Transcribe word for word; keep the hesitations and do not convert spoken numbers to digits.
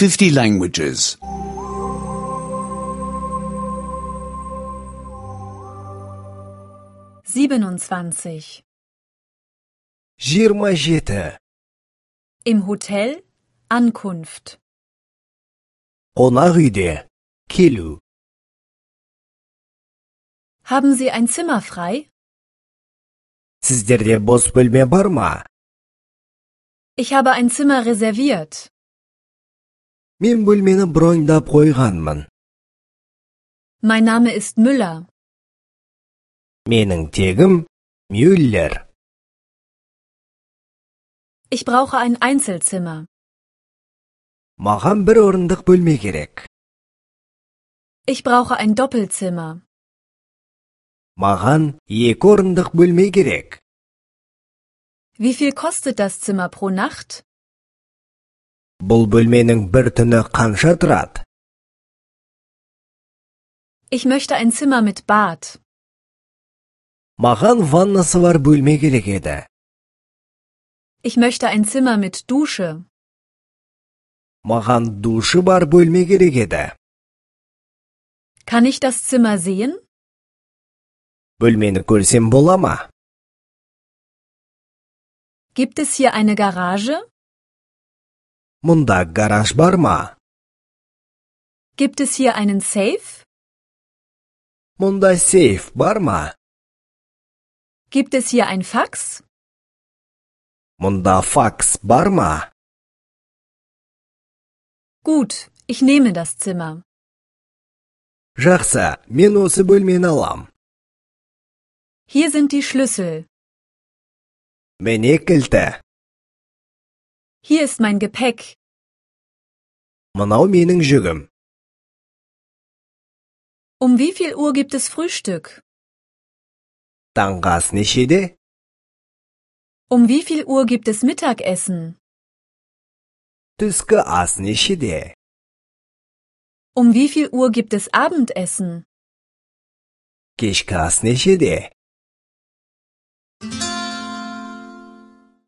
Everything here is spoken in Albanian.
fifty languages. siebenundzwanzig. Жиырма жеті. Im Hotel Ankunft. Қонақ үйде келу. Haben Sie ein Zimmer frei? Сіздерде бос бөлме бар ма? Ich habe ein Zimmer reserviert. Мен бөлмені броньдап қойғанмын. Mein Name ist Müller. Менің тегім Мюллер. Ich brauche ein Einzelzimmer. Маған бір орындық бөлме керек. Ich brauche ein Doppelzimmer. Маған екі орындық бөлме керек. Wie viel kostet das Zimmer pro Nacht? Бұл бөлменің бір түні қанша тұрады? Ich möchte ein Zimmer mit Bad. Маған ваннасы бар бөлме керек еді. Ich möchte ein Zimmer mit Dusche. Маған душы бар бөлме керек еді. Kann ich das Zimmer sehen? Бөлмені көрсем бола ма? Gibt es hier eine Garage? Мұнда гараж бар ма? Gibt es hier einen Safe? Мұнда сейф бар ма? Gibt es hier ein Fax? Мұнда факс бар ма? Gut, ich nehme das Zimmer. Жақсы, мен осы бөлмені алам. Hier sind die Schlüssel. Міне кілті. Hier ist mein Gepäck. Мынау менің жүгім. Um wie viel Uhr gibt es Frühstück? Таңғы ас нешеде? Um wie viel Uhr gibt es Mittagessen? Түскі ас нешеде? Um wie viel Uhr gibt es Abendessen? Кешкі ас нешеде?